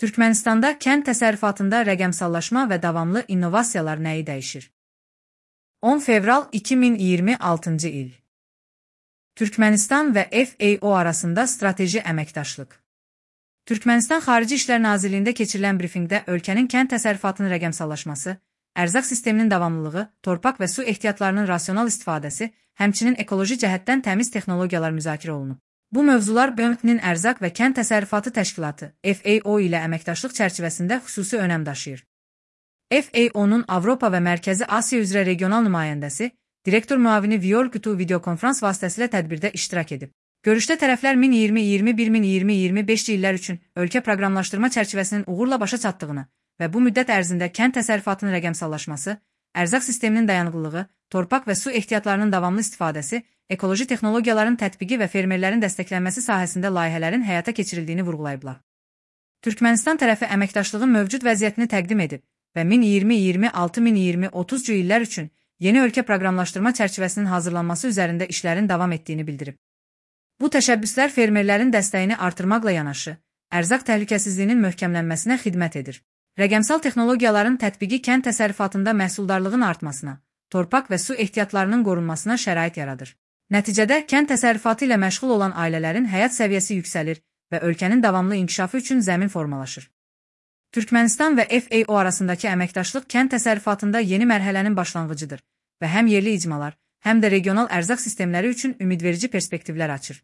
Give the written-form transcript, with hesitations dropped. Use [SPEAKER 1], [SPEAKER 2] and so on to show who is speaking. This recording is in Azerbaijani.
[SPEAKER 1] Türkmenistanda kənd təsərrüfatında rəqəmsallaşma və davamlı innovasiyalar nəyi dəyişir? 10 fevral 2026 il. Türkmenistan və FAO arasında strateji əməkdaşlıq. Türkmenistan Xarici İşlər Nazirliyində keçirilən brifinqdə ölkənin kənd təsərrüfatının rəqəmsallaşması, ərzaq sisteminin davamlılığı, torpaq və su ehtiyatlarının rasional istifadəsi, həmçinin ekoloji cəhətdən təmiz texnologiyalar müzakirə olunub. Bu mövzular BMT-nin Ərzaq və Kənd Təsərrüfatı Təşkilatı FAO ilə əməkdaşlıq çərçivəsində xüsusi önəm daşıyır. FAO-nun Avropa və Mərkəzi Asiya üzrə regional nümayəndəsi, direktor müavini Viol Qutu videokonferans vasitəsilə tədbirdə iştirak edib. Görüşdə tərəflər 2020-2021-2025 illər üçün ölkə proqramlaşdırma çərçivəsinin uğurla başa çatdığını və bu müddət ərzində kənd təsərrüfatının rəqəmsallaşması, ərzaq sisteminin dayanıqlılığı, torpaq və su ehtiyatlarının davamlı istifadəsi, ekoloji texnologiyaların tətbiqi və fermerlərin dəstəklənməsi sahəsində layihələrin həyata keçirildiyini vurğulayıblar. Türkmenistan tərəfi əməkdaşlığın mövcud vəziyyətini təqdim edib və 2020-2026-2030 illər üçün yeni ölkə proqramlaşdırma çərçivəsinin hazırlanması üzərində işlərin davam etdiyini bildirib. Bu təşəbbüslər fermerlərin dəstəyini artırmaqla yanaşı, ərzaq təhlükəsizliyinin möhkəmlənməsinə xidmət edir. Rəqəmsal texnologiyaların tətbiqi kənd təsərrüfatında məhsuldarlığın artmasına, torpaq və su ehtiyatlarının qorunmasına şərait yaradır. Nəticədə, kənd təsərrüfatı ilə məşğul olan ailələrin həyat səviyyəsi yüksəlir və ölkənin davamlı inkişafı üçün zəmin formalaşır. Türkmenistan və FAO arasındakı əməkdaşlıq kənd təsərrüfatında yeni mərhələnin başlanğıcıdır və həm yerli icmalar, həm də regional ərzaq sistemləri üçün ümidverici perspektivlər açır.